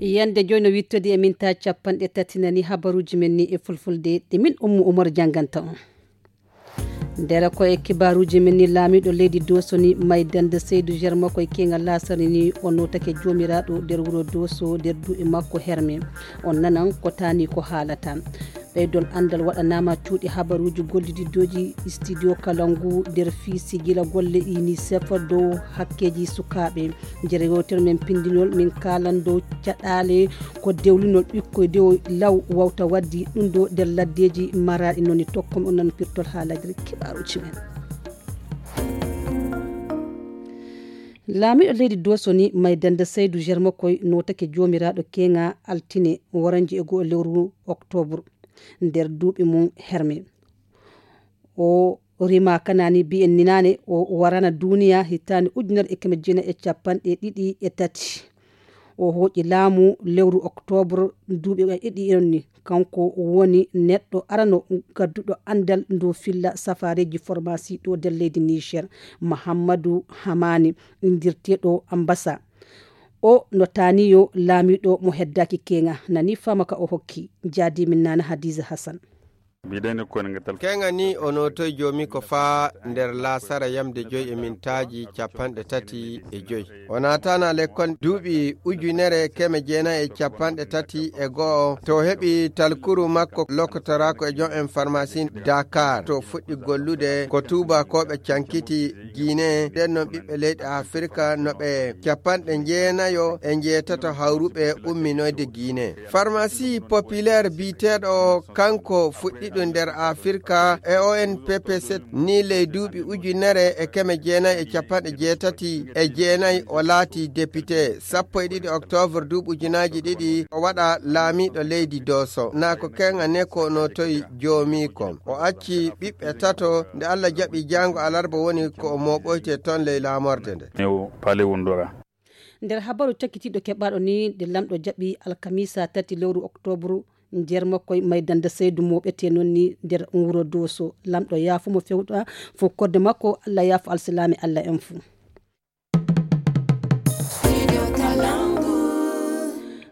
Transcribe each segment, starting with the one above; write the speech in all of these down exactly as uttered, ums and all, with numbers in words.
Yande joy no wittodi e minta capanɗe tati nani habaruji men ni e fulfulde ɗi min Ummu Umar janganta on. Ndera ko e kibaruji men ni laamiɗo leydi Doso ni maydande Seydu Germa koye kengal lasari ni o notake jomiraɗo nder wuro Doso nder duuɓi makko herme. On nanan ko tani ko haalata. Ɓeydol andal waɗanama cuuɗi habaruji gollididoji studio kala ngu nder fii sigila golle UNICEF dow hakkeji sukaɓe. Jere yewtere men pindinol min kalan dow caɗale ko dewlinol ɓikkoy dewo law wawta waddi ɗum ɗo nder laddeji maraɗi noni tokkom on nan pirtol haalajre kibaruji men. Laamiɗo leydi Doso ni maydande Seydu Germa koy notake jomiraɗo kenga altine waranji e goo lewru octobre nder duuɓi mum herme. O rima kanani biyen ninane o warana duniya hitande ujunere e keme jeenayi e capanɗe ɗiɗi e tati. O hoƴi laamu lewru octobre duuɓi ɗiɗi on ni. Kanko woni neɗɗo arano gadduɗo andal ndu filla safareji formasi ɗo nder leydi Niger. Mahammadu Hamani indirteɗo ambasa. O no taniyo laamiɗo mo heddaki kenga nani fama ka o hokki. Jadi min nana Hadiza Hassan. Mbiɗen ko en ngetal. Kenga ni o notoy joomi ko faa nder laasara yamde joy e mintaaji capanɗe tati e joy. O naatana lekkol duuɓi ujunere keme jeenayi e capanɗe tati e go'o. To heɓi talkuru makko lokotorako e jom en farmasi Dakar. To fuɗɗi gollude ko tuubakooɓe cankiti Guinée. Nden non ɓiɓɓe leyɗe Afirka no ɓe capanɗe jeenayo e jeetato hawruɓe umminoyde Guinée. Farmasi populaire biyeteeɗo kanko fuɗɗi ɗum nder Afirka e O N P P sept ni ley duuɓi ujunere e keme jeenayi e capanɗe jeetati e jeenayi o laati député. Sappo e ɗiɗi octobre duuɓi ujunaaji ɗiɗi o waɗa laamiiɗo leydi Doso. Na ko kenga ne ko no toy joomiiko. O acci ɓiɓɓe tato nde Allah jaɓi jaango alarba woni ko o mooɓoyte toon ley laamorde nde. New pale wundora. Nder habaru cakkitiiɗo keɓaaɗo ni nde lamɗo jaɓi alkamisa tati lewru octobre nder makkoy maydande seydu mooɓete noon ni nder wuro Dooso. Lamɗo yaafo mo fewɗa fof kodde makko, Allah yaafo alsilaame, Allah en fuu.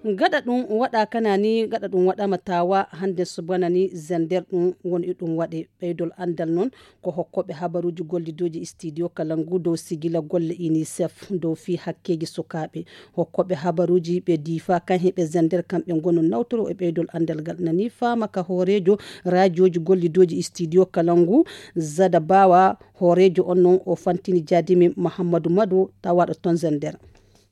Gaɗa ɗum waɗa kana ni, gaɗa ɗum waɗama tawa hannde subana ni zender ɗum woni ɗum waɗe. Ɓeydol anndal noon ko hokkooɓe habaruuji gollidooji studio kala ngu dow sigila golle UNICEF dow fii hakkeeji sukaaɓe. Hokkooɓe habaruuji ɓe diifa kan heɓe zender kamɓe ngonu nawtoro e ɓeydol anndal ngal nani faama ka hooreejo raajooji gollidooji studio kala ngu Zada Bawa. Hooreejo on noon o fantini jaadimi Mahammadu Madu tawaɗo toon zender.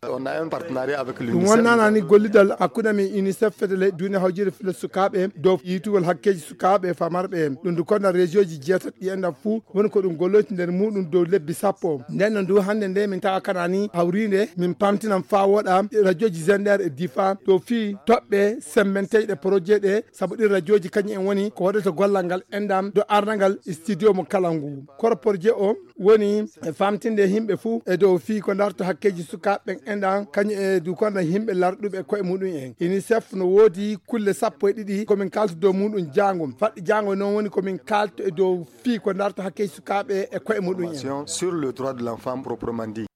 On a un partenariat avec ɗum l'UNICEF. Wonnanani gollidal hakkunde men UNICEF fedele duune hawjire filo sukaaɓe dow yitugol hakkeeji sukaaɓe famarɓe en. Ɗum ndu konna région ji jeetati ɗi enɗan fuu woni ko ɗum golloyti nder muɗum dow lebbi sappo. Nden no ndu hannde nde min tawa kanani hawrinde min pamtinan faa woɗa radioji zender e difa dow fii toɓɓe semmenteeɗe projet ɗe, sabu ɗin radioji kañum en woni ko waɗata gollal ngal enɗan do arnangal studio mo kala ngu. Koro projet o woni e famtinde yimɓe fuu e dow fii ko darto hakkeeji sukaaɓe ɓen enɗan, kañum e du konda yimɓe larɗuɓe koye muɗum en. UNICEF no woodi kulle sappo e ɗiɗi komin kalta dow muɗum jaango. Faɗɗi jaango noon woni komin kalta e dow fii ko darto hakkeeji sukaaɓe e koye muɗum en. Sur le droit de l'enfant proprement dit.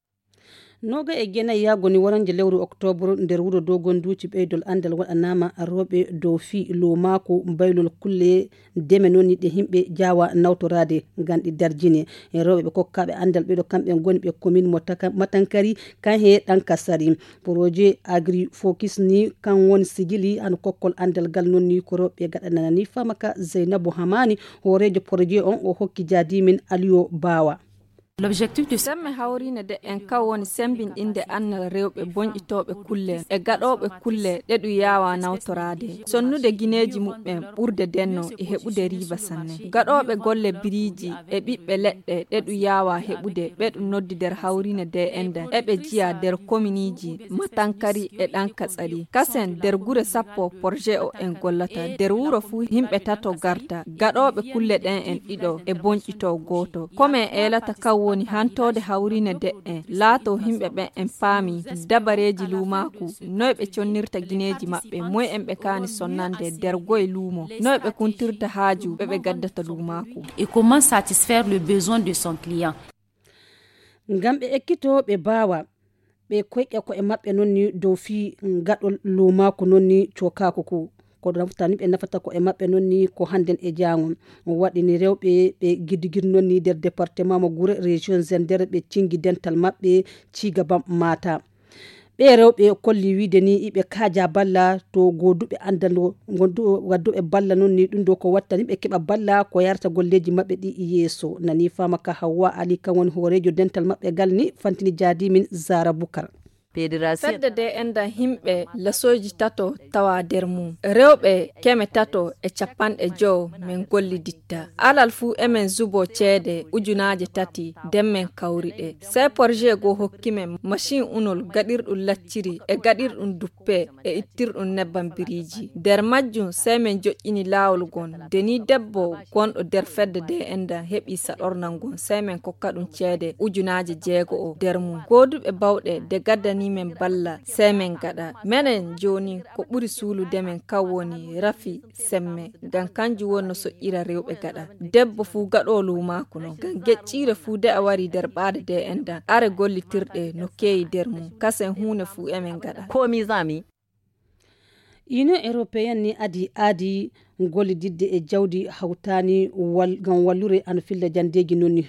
Noga e jeenayi yaago ni warande lewru octobre nder wuro Dogonduuci ɓeydol anndal waɗanaama rewɓe dow fii luumaaku baylol kulle deme noon ni ɗe yimɓe jaawa nawtoraade ngam ɗi darjine. E rewɓe ɓe kokkaaɓe anndal ɓeɗo kamɓe ngoni ɓe commune mo Taka-, Matankari kan he Ɗankasari. Projet Agri Focus ni kan woni sigili hano kokkol anndal ngal noon ni ko rewɓe gaɗanana ni faama ka Zeynabu Hamani hooreejo projet on o hokki jaadimin Aliyo Bawa. L'objectif de semme hawriine de en kaw woni sembinɗinde annal rewɓe bonƴitooɓe kulle e gaɗooɓe kulle ɗe ɗum yaawa nawtoraade, sonnude gineeji muɓɓen ɓurde denno e heɓude riiba sanne. Gaɗooɓe golle biriiji e ɓiɓɓe leɗɗe ɗe ɗum yaawa heɓude ɓe ɗum noddi nder hawriine de en nden eɓe jiya nder kominiiji Matankari e Ɗankatsari. Kasen nder gure sappo projet o en gollata. Nder wuro fuu yimɓe tato garta. Gaɗooɓe kulle ɗen en ɗiɗo e bonƴitoo gooto. Ko men eelata kan woni hantoode hawriine de'en. Laatoo yimɓe ɓen en paami dabareeji luumaaku, noy ɓe connirta gineeji maɓɓe, moy en ɓe kaani sonnande nder goy luumo, noy ɓe kuntirta haaju ɓe ɓe gaddata luumaaku. Et comment satisfaire le besoin de son client? Ngam ɓe ekkitoo ɓe baawa. Ɓe koyɗe ko e maɓɓe noon ni dow fii gaɗol luumaaku noon ni cokaaku ku. Ko naftani ɓe nafata ko e maɓɓe noon ni ko hannden e jaango. Waɗi ni rewɓe ɓe gidigidi noon ni nder département mo Gure, région Zender, ɓe cingi dental maɓɓe ciiga bam maata. Ɓe rewɓe kolli wiide ni iɓe kaaja balla to gooduɓe anndano gondu-, wadduɓe balla noon ni ɗum ɗo ko wattani ɓe keɓa balla ko yarata golleeji maɓɓe ɗi yeeso. Nani faama ka Hawwa Ali kan woni hooreejo dental maɓɓe gal ni fantini jaadi min Zara Bukar. Fedde de enda himɓe lasooji tato tawa der mum. Rewɓe keme tato e capanɗe jowo men golliditta. Alal fu emen zubo ceede ujunaaje tati den men kawri ɗe. Sai porje go hokki men machine unol gaɗirɗum lacciri e gaɗirɗum duppe e ittirɗum nebbam biriji. Der majjum sai men joƴƴini laawol gon. Deni debbo gonɗo der fedde de enda heɓi saɗornal gon sai men kokka ɗum ceede ujunaaje jeego o der mum. Gooduɓe bawɗe de gaddani men balla sai men gaɗa. Menen jooni ko ɓuri suulude men kan woni rafi semme, ngam kanjum woni no soƴƴira rewɓe gaɗa. Debbo fu gaɗo luumaaku non, ngam gecciire fu de a wari der ɓaade de enda, are gollitirɗe no keeyi der mum, kasen huune fu emen gaɗa. Union Européenne ni adi aadi gollididde e jawdi hawtaani wal-, ngam wallude an filla jandeeji non ni.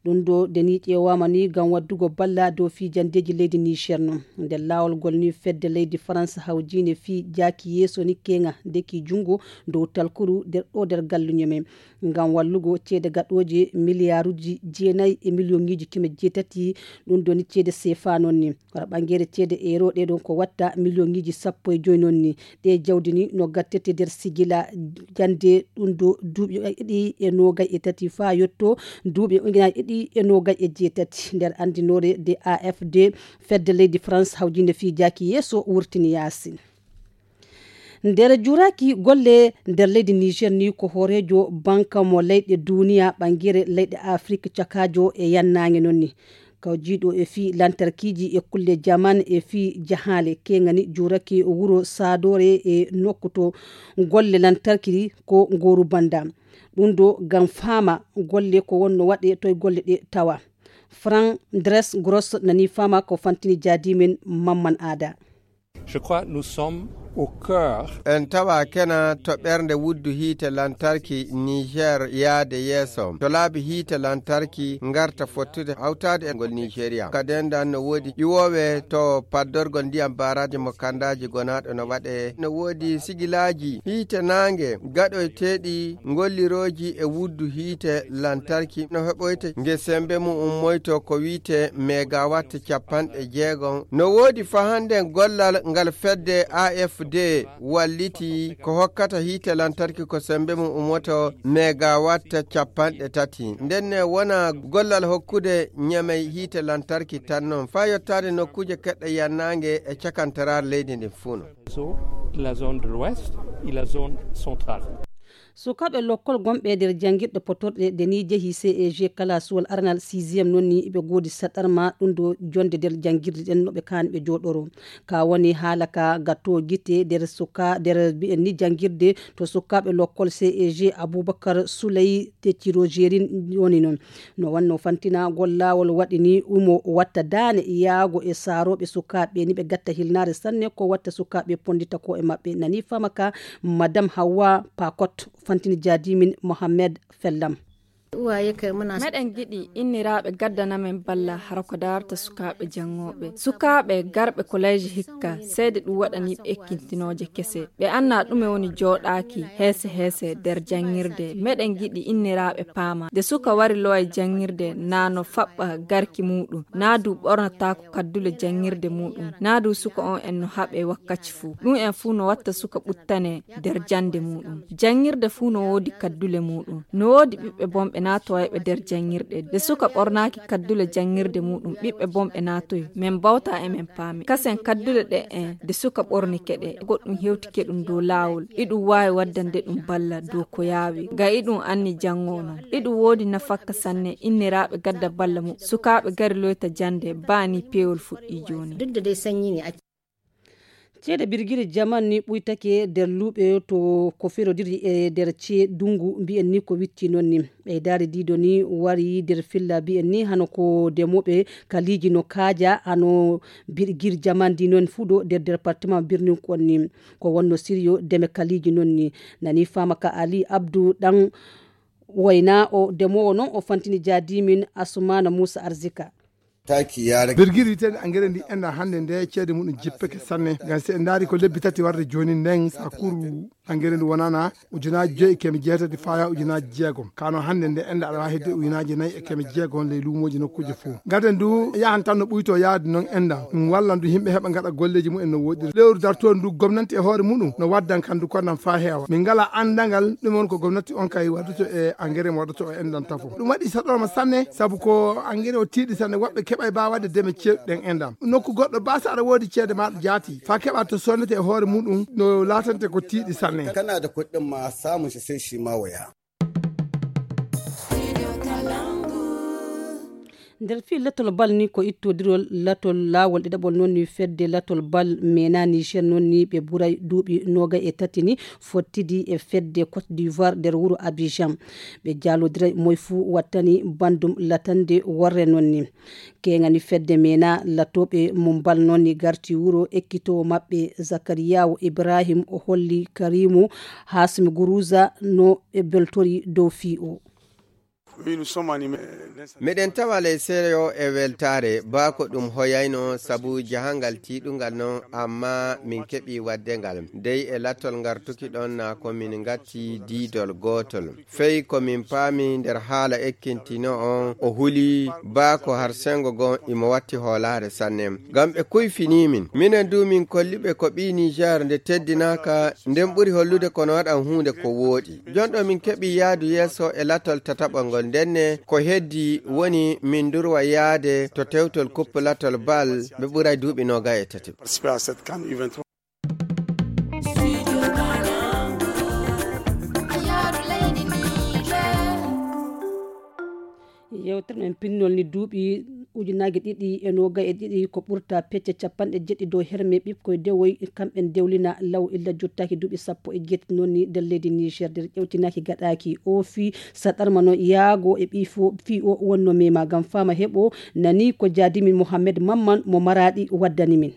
Ɗum ɗo de ni ƴeewaama ni ngam waddugo balla dow fii jandeeji leydi Niger non. Nder laawol ngol ni fedde leydi France hawjiinde fii jaaki yeeso ni keenga deki junngo dow talkuru nder ɗo nder galluñe men. Ngam wallugo ceede gaɗooje miliyaaruuji jeenayi e miliyoŋiiji keme jeetati, ɗum ɗo ni ceede seefa non ni. Wara ɓangeere ceede euro ɗe ɗon ko watta miliyoŋiiji sappo e joy non ni. Ɗe jawdi ni no gattete nder sigila jande ɗum ɗo duuɓi ɗiɗi e noogay e tati faa yotto duuɓi ujunaaji ɗiɗi e noogay e jeetati. Nder anndinoore de A F D, fedde leydi France hawjinde fii jaaki yeeso wurtini yaasi. Nder juraaki golle nder leydi Niger ni ko hooreejo banka mo leyɗe duniya ɓangeere leyɗe Afrik cakaajo e yannaange non ni. Kawjiiɗo e fii lantarkiiji e kulle jaman e fii jahaale, keŋani juurake wuro Saadoore e nokku to golle lantarki ko ngooru banda. Ɗum ɗo ngam faama golle ko wonno waɗe toye golle ɗe tawa. Frank Dres Gross nani faama ko fantini jaadi men Mamman Aada. Je crois nous sommes au cœur. En tawa kena to ɓernde wuddu hiite lantarki Niger yaade yeeso. To laabi hiite lantarki ngarta fottude hawtaade e ngol Nigeria. Ka dendan no woodi ƴiwoowe to paddorgol ndiyam baaraaji mo kandaaji gonaaɗo no waɗe. No woodi sigilaaji hiite naange gaɗoyteeɗi ngollirooji e wuddu hiite lantarki no heɓoyte nge sembe mum ummoyto ko wiite megawatt capanɗe jeegom. No woodi fahande gollal ngal fedde A F D walliti ko hokkata hiite lantarki ko sembe mum ummoto megawatt capanɗe tati. Ndenne wona gollal hokkude Ñamey hiite lantarki tan non faa yottaade nokkuuje keɗɗe yannaange e cakantaraare leydi ndin fuu non. La zone de l'ouest et la zone centrale. Sukaaɓe lokkol gonɓe nder janngirɗe potorɗe de ni jehi C E G kalasuwol aranal sixième non ni ɓe goodi saɗarma ɗum ɗo jonde nder janngirɗe ɗen no ɓe kaani ɓe jooɗoro. Ka woni haala ka gatto gite nder suka-, nder mbi'en ni janngirde to sukaaɓe lokkol C E G Abubakar Suley Teciro Jerin woni non. No wanno fantinagol laawol waɗi ni umo watta daane yaago e saarooɓe sukaaɓe ni ɓe gatta hilnaare sanne ko watta sukaaɓe pondita ko e maɓɓe. Nani faama ka Madame Hawa Pakot fantini jaadimin Mohammed Fellam. Meɗen giɗi inniraaɓe gaddana men balla hara ko daarata sukaaɓe janngooɓe. Sukaaɓe garɓe koleeji hikka, seede ɗum waɗani ɓe ekkintinooje kese. Ɓe annaa ɗume woni jooɗaaki heese heese nder janngirde. Meɗen giɗi inniraaɓe paama. Nde suka wari lowa e janngirde, naa no faɓɓa garki muuɗum, naa du ɓornataako kaddule janngirde muuɗum, naa du suka on en no haɓe wakkaci fuu. Ɗum en fuu no watta suka ɓuttane nder jannde muuɗum. Janngirde fuu no woodi kaddule muuɗum. No woodi ɓiɓɓe bonɓe naatowayɓe nder janngirɗe. Nde suka ɓornaaki kaddule janngirde muuɗum, ɓiɓɓe bonɓe naatoy. Men bawta e men paami. Kasen kaddule ɗe en, nde suka ɓornike ɗe, goɗɗum hewtike ɗum dow laawol. Iɗum waawi waddande ɗum balla dow ko yaawi. Ga iɗum anni janngo non. Iɗum woodi nafakka sanne, inniraaɓe gadda balla mum. Sukaaɓe gari loyta jannde, baa ni peewol fuɗɗii jooni. Ceede birgiri jaman ni ɓuytake nder luuɓe to ko ferodiri e nder cee dungu mbiyen ni ko witti noon ni. Ɓeydaari diido ni wari nder filla mbiyen ni hano ko demoɓe kaliiji no kaaja hano birgiri jaman di noon fuɗo nder département birnin kon ni. Ko wonno siriyo deme kaliiji noon ni. Nani fama ka Ali Abdou ɗan wayna o demowo noon o fantini jaadimin Asumana Musa Arzika. Taki ya rage. Birgiri ten angere ndi enda hannde nde ceede muɗum jippeke sanne. Ngam si en ndaari ko lebbi tati warde jooni nden sakuru angere ndu wonana ujunaaji joyi e keme jeetati faya ujunaaji jeegom. Kano hannde nde enda aɗa waawi hedde ujunaaji nayi e keme jeegom ley luumooji nokkuuje fof. Ngaden ndu yahan tan no ɓuyto yaade noon enda. Ɗum wallan du yimɓe heɓa ngaɗa golleeji mumen no woɗɗiri. Lewru dartoon ndu gomnanti e hoore muɗum no waddan kan du konnan faa heewa. Min ngala anndangal ɗum on ko gomnati on kay waɗoto e angere mo waɗoto e endan tafo. Ɗum waɗi saɗorma sanne sabu ko angere o tiiɗi sanne woɓɓe keɓay ba waɗde deme ceeɗu ɗen endan. Nokku goɗɗo ba so aɗa woodi ceede maɗa jaati faa keɓa to sonnete e hoore muɗum no laatante ko tiiɗi sanne. Kana da kuɗin ma samun shi sai shi ma waya. Nder fii latol bal ni ko ittodirol latol laawol ɗiɗaɓol noon ni fedde latol bal mena Niger noon ni ɓe ɓuray duuɓi noogay e tati ni fottidi e fedde Côte d'Ivoire nder wuro Abidjan. Ɓe jaalodiray moy fuu wattani bandum latande worre noon ni. Keŋani fedde mena latooɓe mum bal noon ni garti wuro ekkitoowo maɓɓe Zakariyawo Ibrahim o holli Karimu Hasmi Guruza no ɓe beltori dow fii o. Meɗen tawa ley seyo e weltaare, baa ko ɗum hoyayno sabu jahangal tiiɗungal non, amma min keɓi waɗde ngal. Dey e lattol ngartuki ɗon na ko min ngatti diidol gootol. Fey ko min paami nder haala ekkintino on, o huli baa ko har sengo gon imo watti hoolaare sanne. Ngam ɓe kuyfini min. Minen du min kolli ɓe ko ɓii Niger nde teddinaaka, nden ɓuri hollude kono waɗan huunde ko wooɗi. Jon ɗo min keɓi yaadu yeeso e lattol tataɓol ngol, ndenne ko heddi woni min ndurwa yaade to tewtol kuppu lattol bal, ɓe ɓuray duuɓi noogay e tati. Yewtere men pinnol ni duuɓi ujunaaji ɗiɗi e noogay e ɗiɗi ko ɓurta pecce capanɗe jeɗɗi dow herme ɓikkoy dewoy kamɓen dewlina law illa jottaaki duuɓi sappo e jeetati noon ni nder leydi Niger nder ƴewtinaaki gaɗaaki o fii saɗarma no yaago e ɓii fo fii o wonno mema ngam fama heɓo nani ko jaadimin Mohammed Mamman mo Maraɗi waddani min.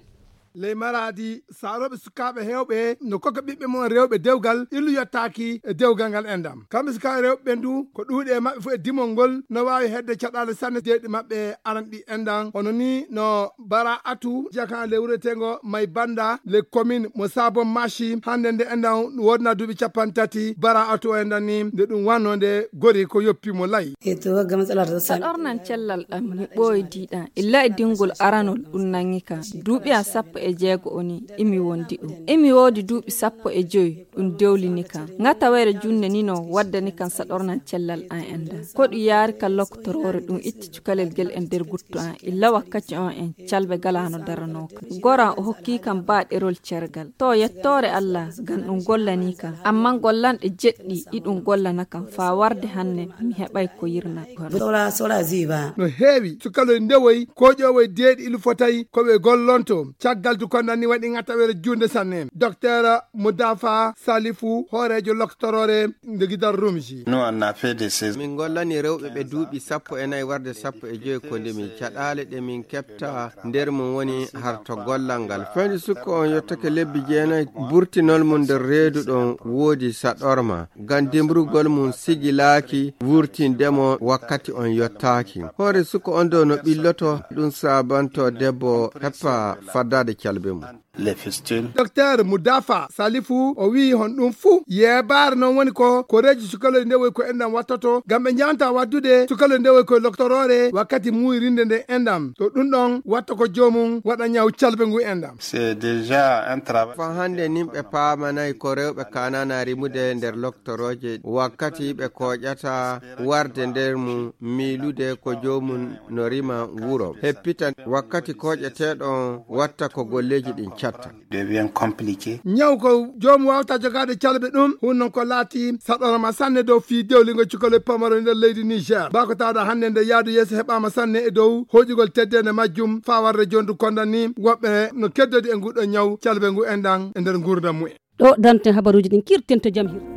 Ley Maraadi, saarooɓe sukaaɓe heewɓe no koka ɓiɓɓe mon rewɓe dewgal illu yottaaki e dewgal ngal enɗam. Kamɓe sukaaɓe rewɓe ɓen du, ko ɗuuɗi e maɓɓe fof e dimol ngol no waawi hedde caɗaale sanne deeɗi maɓɓe aranɗi enɗam. Hono ni no Bara Atu, jaka le wureteengo May Banda, le commune mo Sabon Mashi, hannde nde enɗam woodna duuɓi capanɗe tati, Bara Atu o enɗam ni, nde ɗum wannoo nde gori ko yoppi mo lay. E to wagga matsala ta sami. Saɗornan cellal am, mi ɓooydiiɗam. Illa e dingol aranol ɗum nangi kam. Duuɓi am sappo e jeego o ni, imi wondi ɗum. Imi woodi duuɓi sappo e joy, ɗum dewlini kam. Ŋatawere junne ni no waddani kam saɗornan cellal am en da. Ko ɗum yaari kam lokotoroore ɗum itti cukalel gel e nder guttu am. Illa wakkati on en calɓe galaano daranoo kam. Goram o hokki kam baaɗerol cergal. To yettoore Allah, ngam ɗum gollanii kam. Ammaa gollanɗe jeɗɗi iɗum gollana kam faa warde hanne mi heɓay ko yirna. Sola, sola ziba. No heewi, sukaloy ndewoy, kooƴowoy deeɗi ilu fotay, ko ɓe gollonto. Caggal du kondan ni waɗi ŋatawere juunde sanne. Docteur Mudafa Salifu, hooreejo loktoroore nde Gidal Rumji. Nous, on a fait des saisons. Min gollani rewɓe ɓe duuɓi sappo e nayi warde sappo e joy ko nde min caɗaale ɗe min keɓta nder mum woni harto gollal ngal. Fayde sukko on yottake lebbi jeenayi, burtinol mum nder reedu ɗon woodi saɗorma. Ngam dimbrugol mum sigilaaki wurtinde mo wakkati on yottaaki. Hoore sukko on ɗo no ɓilloto, ɗum saabanto debbo heppa faddaade calbe mum. Les fistules. Docteur Mudafa Salifu o wi'i hon ɗum fuu yeebaare noon woni ko koreeji sukaloy ndewoy ko enɗam wattoto ngam ɓe njanta waddude sukaloy ndewoy koye loktoroore wakkati muuyirinde nde enɗam. To ɗum ɗon watta ko joomum waɗa ñaw calbe ngu enɗam. C'est déjà un travail. Fa hannde nin ɓe paamanay ko rewɓe kaanana rimude nder loktorooje wakkati ɓe kooƴata warde nder mum miilude ko joomum no rima wuro. Heppita wakkati kooƴeteeɗo on watta ko golleeji ɗin Devient compliqué. Ñaw ko joom wawta jogaade calbe ɗum, hun noon ko laati saɗorama sanne dow fii dewlingo cukalel pamaro nder leydi Niger. Baa ko tawɗa hannde nde yaadu yeeso heɓaama sanne e dow hoƴugol teddende majjum, faa warde jondu konda ni woɓɓe no keddodi e nguɗo ñaw calbe ngu enɗan e nder nguurdam mumen. Ɗo danten habaruuji ɗin kirten to jam hir.